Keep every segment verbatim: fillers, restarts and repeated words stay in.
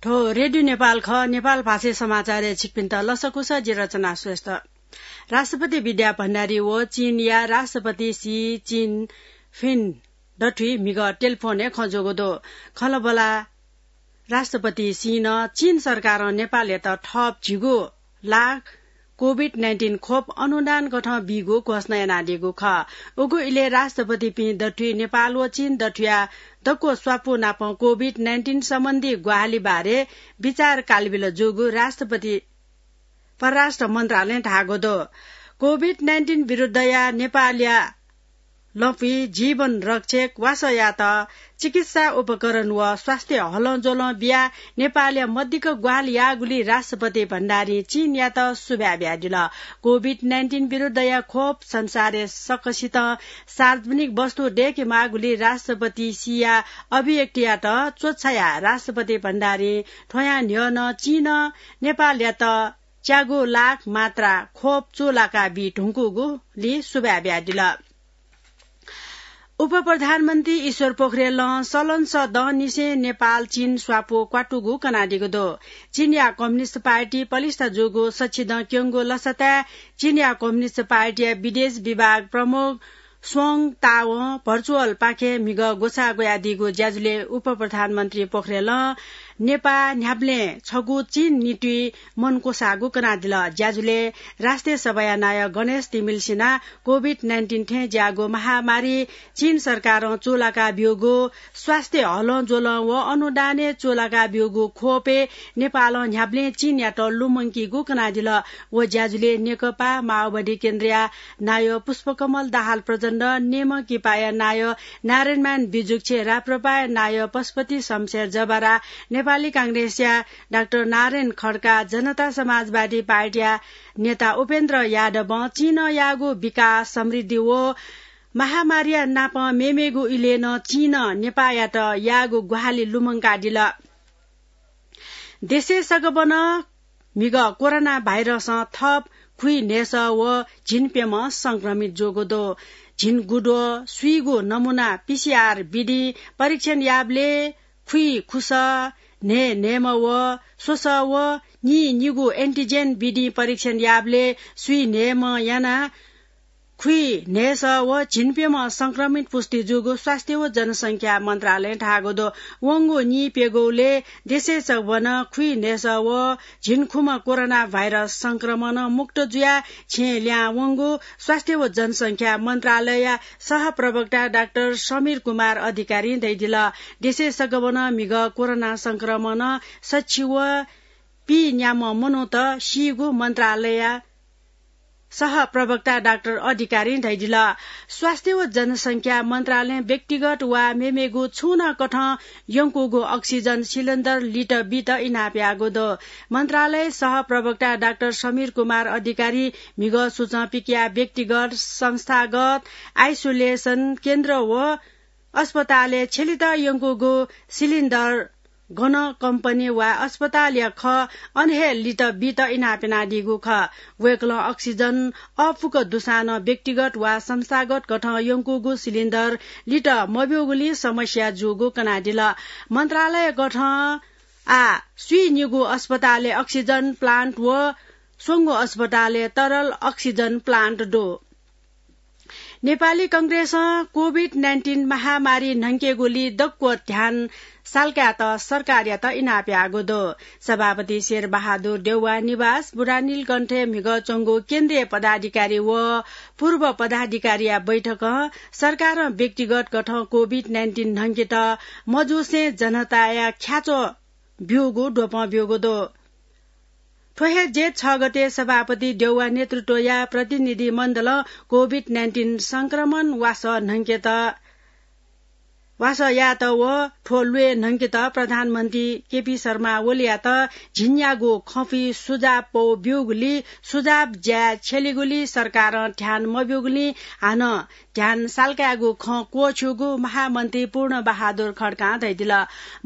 थ्व रेडियो नेपाल खः। नेपाल भाषाय् समाचारय् छिकपिन्त लसकुस, जि रचना श्रेष्ठ। राष्ट्रपति विद्या भण्डारी व चीनया राष्ट्रपति सी जिनफिन दथुइ म्हिगः टेलिफोनय् खँ ज्वःगु दु। खँल्हाबल्हा राष्ट्रपति सीं चीन सरकारं नेपालयात थप झिगू लाख कोभिड नाइन्टिन खोप अनुदान कथं बीगु घोषणा यानादीगु खः। उगु इलय् राष्ट्रपतिपिं दथुइ नेपाल व चीन दथुया दक्व स्वापू नाप कोभिड नाइन्टिन सम्बन्धी ग्वाहालि बारे विचार कालबिल जूगु राष्ट्रपति परराष्ट्र मन्त्रालयं धाःगु दु। कोभिड नाइन्टिन विरुद्धया नेपालया लँपुइ जीवन रक्षक वासःयात चिकित्सा उपकरण व स्वास्थ्य हलंज्वलं बियाः नेपालया मदिक्क ग्वाहालि याःगुलिं राष्ट्रपति भण्डारीं चीनयात सुभाय् बियादिल। कोभिड नाइन्टिन विरुद्धया खोप संसारय् सकसितं सार्वजनिक वस्तु दय्केमाःगुलिं राष्ट्रपति सीया अभिव्यक्तियात च्वछायाः राष्ट्रपति भण्डारीं थ्वयां न्ह्यः नं चीनं नेपालयात च्यागू लाख मात्रा खोप चूलाका बी धुंकूगुलिं सुभाय् बियादिल। उपप्रधानमन्त्री ईश्वर पोखरेलं सलंसः दँनिसें नेपाल चीन स्वापू क्वातुगु कनादीगु दु। चीनया कम्युनिस्ट पार्टी पलिस्था जूगु सच्छिदँ क्यंगु लसताय् चीनया कम्युनिस्ट पार्टीया विदेश विभाग प्रमुख स्वंग तावं भर्चुअलपाखें म्हिगः ग्वसाः ग्वयादीगु ज्याझ्वलय् उपप्रधानमन्त्री पोखरेलं नेपाः न्ह्याबलें छगू चीन निंतिं मन क्वसाःगु कनादिल। ज्याझ्वलय् राष्ट्रिय सभाया नायः गणेश तिमिल्सिनां कोभिड नाइन्टिन थें ज्याःगु महामारी चीन सरकारं चूलाका ब्यूगु स्वास्थ्य हलंज्वलं व अनुदानय् चूलाका ब्यूगु खोपय् नेपालं न्ह्याबलें चीनयात लुमंकीगु कनादिल। व ज्याझ्वलय् नेकपा माओवादी केन्द्रया नायः पुष्पकमल दाहाल प्रचण्ड, नेमकिपाया नायः नारायणमान बिजुक्छे, राप्रपाया नायः पशुपति शमशेर जबरा, नेपाली कांग्रेसया डाक्टर नारायण खड्का, जनता समाजवादी पार्टीया नेता उपेन्द्र यादवं चीनं याःगु विकास, समृद्धि व महामारीया नापं मेमेगु इलय् नं चीनं नेपाःयात याःगु ग्वाहालि लुमंकादिल। देशय् सगबनं म्हिगः कोरोना भाइरसं थप खुइन्हय्‌सः व झिंप्यम्ह संक्रमित जूगु दु। झिंगुद्वः स्वीगू नमूना पीसीआर विधिं परीक्षण याःबलय् खुइखुसः, न्हय्‌न्हय्‌म्ह व स्वसः व नीनिगू एन्टिजेन विधिं परीक्षण याःबलय् स्वीन्हय्‌म्ह यानाः खुइन्हय्‌सः व झिंप्यम्ह संक्रमित पुष्टि जूगु स्वास्थ्य व जनसंख्या मन्त्रालयं धाःगु दु। वंगु नीप्यघौलय् देशय् सगबनं खुइन्हय्‌सः व झिंखुम्ह कोरोना भाइरस संक्रमणं मुक्त जुयाः छेँय् लिहां वंगु स्वास्थ्य व जनसंख्या मन्त्रालयया सहप्रवक्ता डाक्टर समीर कुमार अधिकारीं धयादिल। देशय् सगबनं म्हिगः कोरोना संक्रमणं सछि व पीन्याम्ह मनूत सीगु मन्त्रालयया सहप्रवक्ता डाक्टर अधिकारीं धयादिल। स्वास्थ्य व जनसंख्या मन्त्रालयं व्यक्तिगत वा मेमेगु छुं नं कथं यंकूगु अक्सिजन सिलिन्डर लित बीत इनाप याःगु दु। मन्त्रालय सहप्रवक्ता डाक्टर समीर कुमार अधिकारी म्हिगः सुचं पिकयाः व्यक्तिगत, संस्थागत, आइसोलेसन केन्द्र व अस्पतालय् छ्यलेत यंकूगु सिलिन्डर गन कम्पनी वा अस्पतालया खः, अन हे लित बीत इनाप यानादीगु खः। वय्‌कलं अक्सिजन अःपुक दुसां नं व्यक्तिगत वा संस्थागत कथं यंकूगु सिलिन्डर लित मब्यूगुलिं समस्या जूगु कनादिल। मन्त्रालय कथं आः स्वीनिगू अस्पतालय् अक्सिजन प्लान्ट व स्वंगू अस्पतालय् तरल अक्सिजन प्लान्ट दु। नेपाली कांग्रेसं कोभिड नाइन्टिन महामारी न्हंकेगुली दक्व ध्यान साल्कायेत सरकारयात इनाप याःगु दु। सभापति शेरबहादुर देउवा निवास बुढानीलकण्ठय् म्हिगः च्वंगु केन्द्रीय पदाधिकारी व पूर्व पदाधिकारीया बैठकं सरकारं व्यक्तिगत कथं कोभिड नाइन्टिन न्हंकेत मजूसें जनताया ख्याच्वः ब्यूगु द्वपं ब्यूगु दु। थ्व हे जेठ छ गते सभापति देउवा नेतृत्वया प्रतिनिधि मण्डलं कोभिड नाइन्टिन संक्रमण वासः न्हंकेत, वासः यायेत व थ्व ल्वय् न्हंकेत प्रधानमन्त्री केपी शर्मा ओलीयात झिंन्यागू खँपुइ सुझाव पौ ब्यूगुलिं सुझाव ज्याय् छ्यलीगुलिं सरकारं ध्यान मब्यूगुलिं हानं ध्यान साल्कायेगु खँ क्वःछ्यूगु महामन्त्री पूर्ण बहादुर खड्कां धयादिल।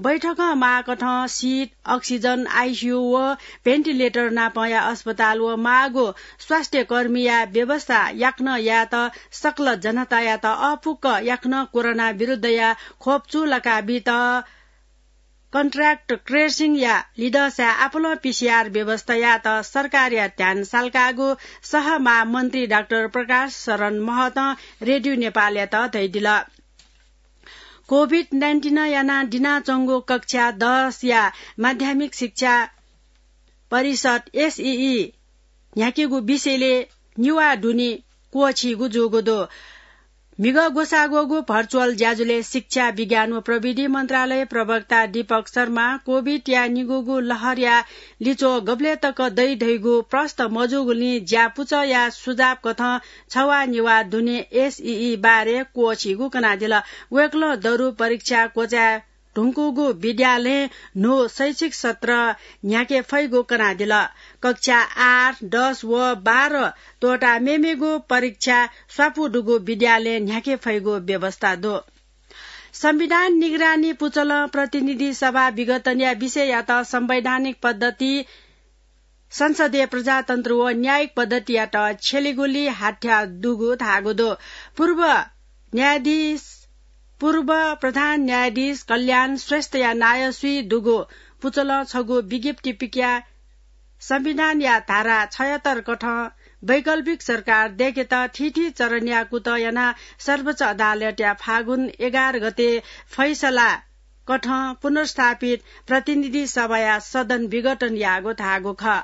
बैठकं माःकथं सिट, अक्सिजन, आइसियु व भेन्टिलेटर नापंया अस्पताल व माःगु स्वास्थ्य कर्मीया व्यवस्था याकनं यायेत सकल जनतायात अःपुक याकनं कोरोना विरुद्धया खोप चूलाका बीत contract tracing या लिधंसाय् आपालं पीसीआर व्यवस्था यायेत सरकारया ध्यान साल्काःगु सहमंत्री डाक्टर प्रकाश शरण महतं रेडियो नेपालयात धयादिल। कोभिड नाइन्टिनं यानाः दिनाच्वंगु कक्षा दस या माध्यमिक शिक्षा परिषद, एसईई, न्ह्याकेगु विषयलय् निवाः दुने क्वःछीगु जूगु दु। म्हिगः ग्वसाः ग्वःगु भर्चुअल ज्याझ्वलय् शिक्षा, विज्ञान व प्रविधि मन्त्रालय प्रवक्ता दीपक शर्मां कोभिडया निगूगु लहरया लिच्वः गबलय् तक दइ धइगु प्रष्ट मजूगुलिं ज्यापुचःया सुझाव कथं छवाः निवाः दुने एसईई बारे क्वःछीगु कनादिल। वय्कलं दरु परीक्षा क्वचाय् धुंकूगु विद्यालयं न्हू शैक्षिक सत्र न्ह्याके फइगु कनादिल। कक्षा आठ, दस व बाह्र त्वःताः मेमेगु परीक्षा स्वापू दुगु विद्यालयं न्ह्याके फइगु व्यवस्था दु। संविधान निगरानी पुचलं प्रतिनिधि सभा विघटनया विषययात संवैधानिक पद्धति, संसदीय प्रजातन्त्र व न्यायिक पद्धतियात छ्यलेगुली हाथ्या दुगु धाःगु दु। पूर्व न्यायाधीश, पूर्व प्रधान न्यायाधीश कल्याण श्रेष्ठया नायःसुइ दुगु पुचलं छगू विज्ञप्ति पिकयाः संविधानया धारा छयहत्तर कथं वैकल्पिक सरकार दय्केत थीथी चरणया कुतः यानाः सर्वोच्च अदालतया फागुन एघार गते फैसला कथं पुनर्स्थापित प्रतिनिधि सभाया सदन विघटन याःगु धाःगु खः।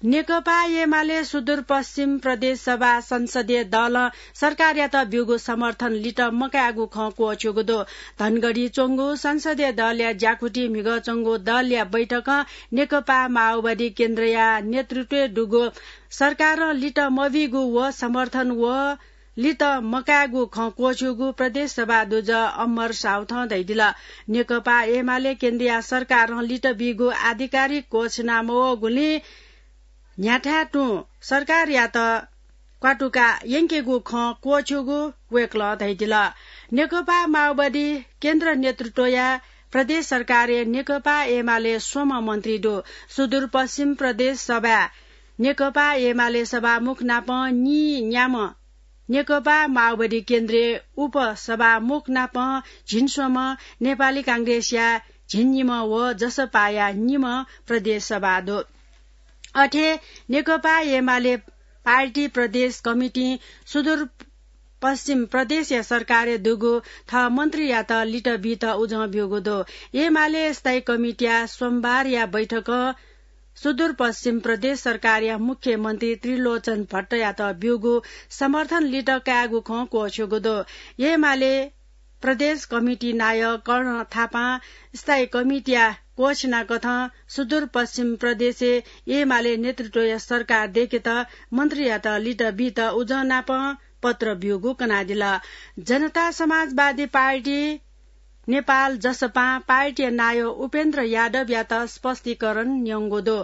नेकपा एमाले सुदूरपश्चिम प्रदेश सभा संसदीय दलं सरकारयात ब्यूगु समर्थन लित मकायेगु खँ क्वःछ्यूगु दु। धनगढी च्वंगु संसदीय दलया ज्याकुथि म्हिगः च्वंगु दलया बैठकं नेकपा माओवादी केन्द्रया नेतृत्वय् दुगु सरकारं लित मबीगु व समर्थन व लित मकायेगु खँ क्वःछ्यूगु प्रदेश सभा दुजः अमर साउथं धयादिल। नेकपा एमाले केन्द्रीय सरकारं लित बीगु आधिकारिक घोषणा मवःगुलिं न्ह्याथाय् तुं सरकारयात क्वातुका यंकेगु खँ क्वःछ्यूगु वय्कलं धयादिल। नेकपा माओवादी केन्द्र नेतृत्वया प्रदेश सरकारय् नेकपा एमाले स्वम्ह मन्त्री दु। सुदूरपश्चिम प्रदेश सभाय् नेकपा एमाले सभामुख नाप नीन्याम्ह, नेकपा माओवादी केन्द्रय् उपसभामुख नाप झिंस्वम्ह, नेपाली कांग्रेसया झिंनिम्ह व जसपाया निम्ह प्रदेश सभा दु। अथे नेकपा एमाले पार्टी प्रदेश कमिटिं सुदूर पश्चिम प्रदेशया सरकारय् दुगु थः मन्त्रीयात लित बीत उजं ब्यूगु दु। एमाले स्थायी कमिटिया सोमबारया बैठकं सुदूरपश्चिम प्रदेश सरकारया मुख्यमन्त्री त्रिलोचन भट्टयात ब्यूगु समर्थन लित कायेगु खँ क्वःछ्यूगु दु। एमाले प्रदेश कमिटी नायः कर्ण थापां स्थायी कमिटिया घोषणा कथं सुदूरपश्चिम प्रदेशय् एमाले नेतृत्वया सरकार दय्केत मन्त्रीयात लित बीत उजं नाप पत्र ब्यूगु कनादिल। जनता समाजवादी पार्टी नेपाल जसपां पार्टीया नायः उपेन्द्र यादवयात स्पष्टीकरण न्यंगु दु।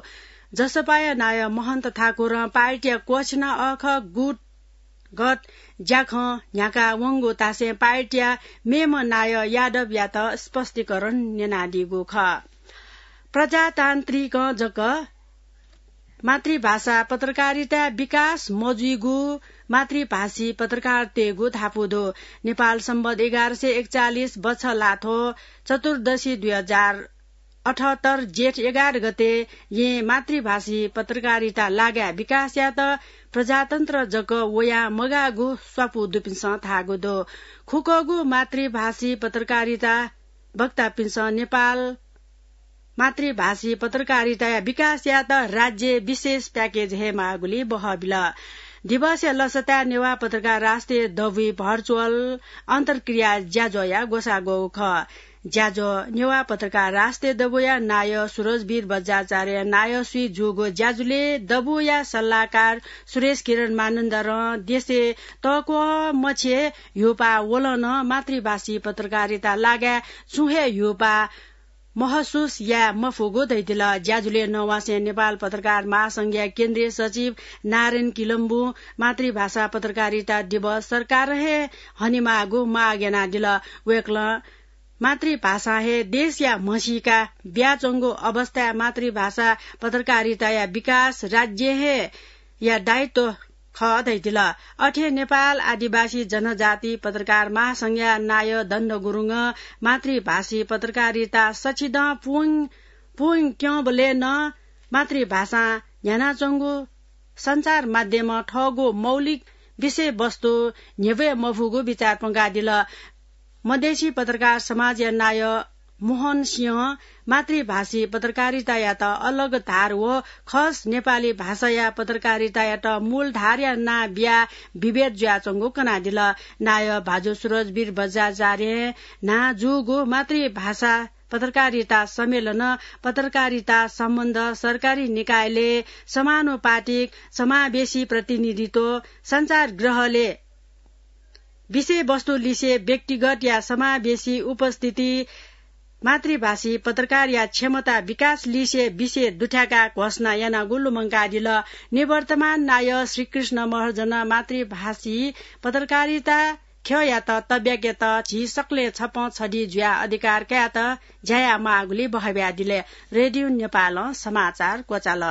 जसपाया नायः महन्त ठाकुरं पार्टीया घोषणा अःखः गुट गत ज्याखँ न्ह्याका वंगु तासें पार्टीया मेम्ह नायः यादवयात स्पष्टीकरण न्यनादीगु खः। प्रजातान्त्रिकं जक मातृभाषा पत्रकारिताय् विकास मजुइगु मातृभाषी पत्रकारतय्गु धापू दु। नेपाल सम्बत एघार सय एकचालिस बछलाथ्व चतुर्दशी दुई हजार अठहत्तर जेठ एघार गते यें मातृभाषी पत्रकारिता लागाय् विकास यात प्रजातन्त्र जक वयां मगाःगु स्वापू दुपिन्सं धाःगु दु। खुकःगु मातृभाषी पत्रकारिता वक्तापिन्सं नेपाल मातृभाषी पत्रकारिताया विकास यात राज्य विशेष प्याकेज हे माःगुली बहःबिल। दिवसया लसताय् नेवाः पत्रकार राष्ट्रिय दबुइ भर्चुअल अन्तर्क्रिया ज्याझ्वःया ग्वसाः ग्वःगु खः। ज्याझ्वः नेवाः पत्रकार राष्ट्रिय दबुया नायः सुरजवीर बज्राचार्य नायःसुइ जूगु ज्याझ्वलय् दबुया सल्लाहकार सुरेश किरण मानन्धरं देशय् तःक्वः मछिं ह्यूपाः वलं नं मातृभाषी पत्रकारिता लागाय् छुं हे ह्यूपाः महसुस याये मफुगु धयादिल। ज्याझ्वलय् नवासें नेपाल पत्रकार महासंघया केन्द्रीय सचिव नारायण किलम्बुं मातृभाषा पत्रकारिता दिवस सरकारं हे हनेमाःगु माग यानादिल। वय्कलं मातृभाषां हे देशया म्हसीका ब्याच्वंगु अवस्थाय् मातृभाषा पत्रकारिताया विकास राज्यं हे या दायित्व खः धैदिल। अथे नेपाल आदिवासी जनजाति पत्रकार महासंघया नायः दण्ड गुरुङ मातृभाषी पत्रकारिता सछिदँ पुवं पुवं क्यंबलय् नं मातृभाषां न्ह्यानाच्वंगु सञ्चार माध्यमं थःगु मौलिक विषयवस्तु न्ह्यब्वये मफुगु बिचाः प्वंकादिल। मधेसी पत्रकार समाजया नायः मोहन सिंहं मातृभाषी पत्रकारितायात अलग धार व खस नेपाली भाषाया पत्रकारितायात मूल धारया नां बियाः विभेद जुयाच्वंगु कनादिल। नायः भाजु सुरजवीर बज्राचार्यं न्हां जूगु मातृभाषा पत्रकारिता सम्मेलन, पत्रकारिता सम्बन्ध, सरकारी निकायले समानुपातिक समावेशी प्रतिनिधित्व, सञ्चार गृहले विषयवस्तु लिसे व्यक्तिगत या समावेशी उपस्थिति, मातृभाषी पत्रकार या क्षमता विकास लिसे विषय दुथ्याकाः घोषणा यानागु लुमंकादिल। निवर्तमान नायः श्रीकृष्ण महर्जन मातृभाषी पत्रकारिता ख्यःयात तब्याकेत झी सकलें छपं छधी जुयाः अधिकार कायेत ज्या यायेमाःगुलिं बहब्यादिल। रेडियो नेपालं समाचार क्वचाल।